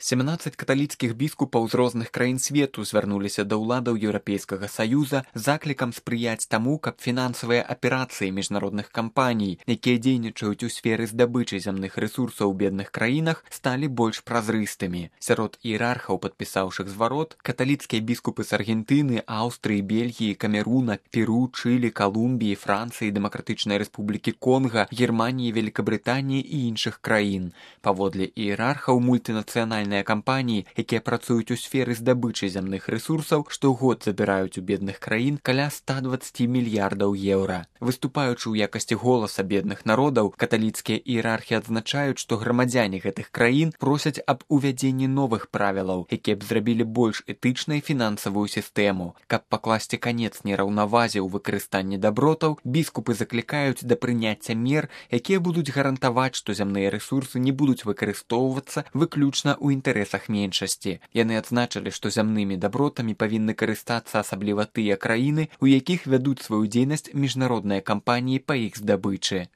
17 каталіцкіх біскупаў з розных краін свету звярнуліся да ўладаў Еўрапейскага Саюза з заклікам спрыяць таму, каб фінансавыя аперацыі міжнародных кампаній, якія дзейнічаюць у сферы здабычы зямных рэсурсаў у бедных краінах, сталі больш празрыстымі. Сярод іерархаў, падпісаўшых зварот, каталіцкія біскупы з Аргентыны, Аўстрыі, Бельгіі, Камеруна, Перу, Чылі, Калумбіі, Францыі, Дэмакратычнай Рэспублікі Конга, Германіі, Великабрытаніі і іншых краін. Паводле іерархаў, мультынацыянальныя кампаніі, якія працуюць у сферы здабычы зямных рэсурсаў, штогод забіраюць у бедных краін каля 120 мільярдаў еўра. Выступаючы ў якасці голаса бедных народаў, каталіцкія іерархі адзначаюць, што грамадзяне гэтых краін просяць аб увядзенні новых правілаў, якія б зрабілі больш этычнай фінансавую сістэму. Каб пакласці канец нераўнавазе ў выкарыстанні дабротаў, біскупы заклікаюць да прыняцця мер, якія будуць гарантаваць, што зямныя рэсурсы не будуць выкарыстоўвацца выключна ў інтарэсах меншасці. Яны адзначылі, што зямнымі дабротамі павінны карыстацца асабліва тыя краіны, у якіх вядуць сваю дзейнасць міжнародныя кампаніі па іх здабычы.